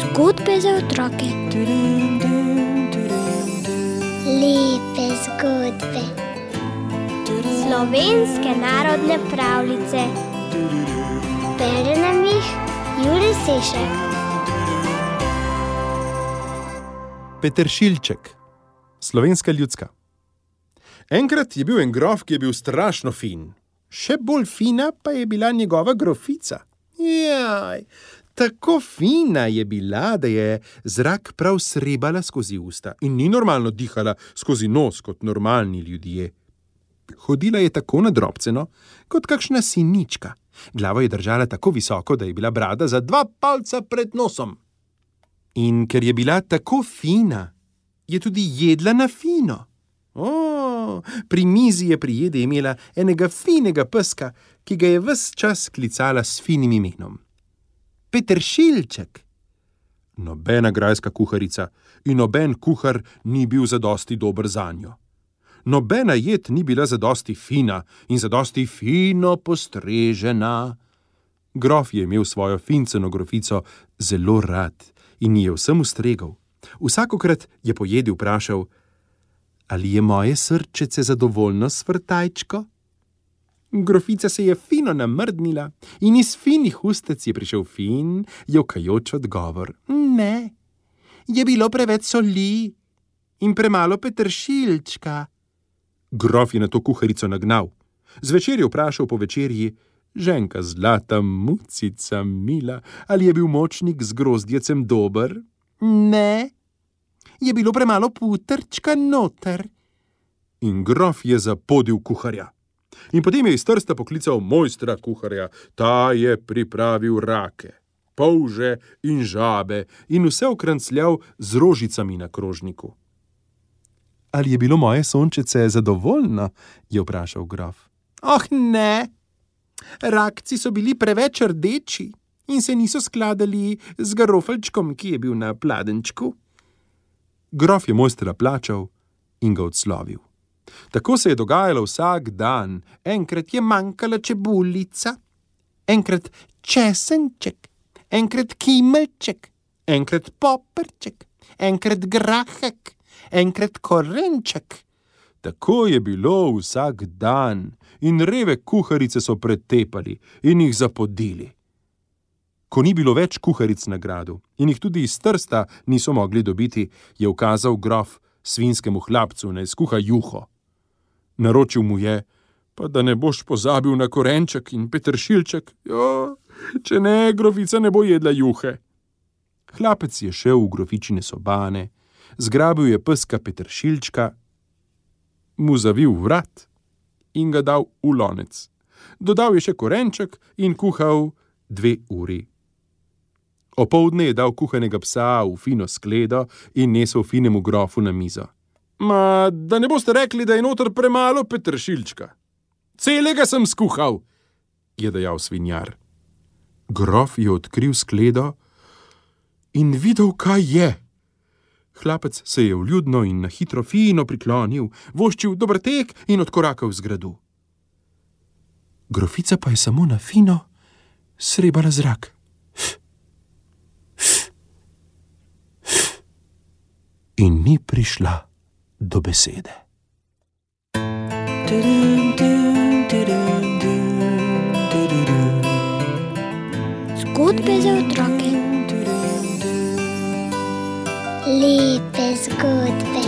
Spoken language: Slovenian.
Zgodbe za otroke. Lepe zgodbe. Slovenske narodne pravljice. Bere nam jih Jurij Sešek. Peteršilček. Slovenska ljudska. Enkrat je bil en grof, ki je bil strašno fin. Še bolj fina pa je bila njegova grofica. Jaj, tako fina je bila, da je zrak prav srebala skozi usta in ni normalno dihala skozi nos kot normalni ljudje. Hodila je tako nadrobceno, kot kakšna sinička. Glavo je držala tako visoko, da je bila brada za 2 palca pred nosom. In ker je bila tako fina, je tudi jedla na fino. Pri mizi je pri jedi imela enega finega peska, ki ga je ves čas klicala s finim imenom. Peteršilček. Nobena grajska kuharica in noben kuhar ni bil zadosti dober zanjo. Nobena jed ni bila zadosti fina in zadosti fino postrežena. Grof je imel svojo finceno grofico zelo rad in je vsem ustregal. Vsakokrat je po jedi vprašal: ali je moje srčece zadovoljno s vrtajčko? Grofica se je fino namrdnila in iz finih ustec je prišel fin, jokajoč odgovor: ne, je bilo preveč soli in premalo peteršilčka. Grof je na to kuharico nagnal. Zvečer je vprašal po večerji: ženka zlata, mucica mila, ali je bil močnik z grozdjecem dober? Ne, je bilo premalo putrčka noter. In grof je zapodil kuharja. In potem je iz Trsta poklical mojstra kuharja. Ta je pripravil rake, polže in žabe in vse okrancljal z rožicami na krožniku. Ali je bilo moje sončece zadovoljno? Je vprašal grof. Oh, ne, rakci so bili preveč rdeči in se niso skladali z garofelčkom, ki je bil na pladenčku. Grof je mojstra plačal in ga odslovil. Tako se je dogajalo vsak dan. Enkrat je manjkala čebulica, enkrat česenček, enkrat kimeljček, enkrat poperček, enkrat grahek, enkrat korenček. Tako je bilo vsak dan in reve kuharice so pretepali in jih zapodili. Ko ni bilo več kuharic na gradu in jih tudi iz Trsta niso mogli dobiti, je ukazal grof svinskemu hlapcu, naj skuha juho. Naročil mu je: pa da ne boš pozabil na korenček in peteršilček. Če ne, grofica ne bo jedla juhe. Hlapec je šel v grofičine sobane, zgrabil je peska peteršilčka, mu zavil vrat in ga dal v lonec. Dodal je še korenček in kuhal 2 uri. Opoldne je dal kuhanega psa v fino skledo in nesel finemu grofu na mizo. Ma, da ne boste rekli, da je noter premalo peteršilčka. Celega sem skuhal, je dejal svinjar. Grof je odkril skledo in videl, kaj je. Hlapec se je vljudno in na hitro fino priklonil, voščil dober tek in odkorakal z gradu. Grofica pa je samo na fino srebala zrak. In ni prišla do besede. Zgodbe za otroke. Lepe zgodbe.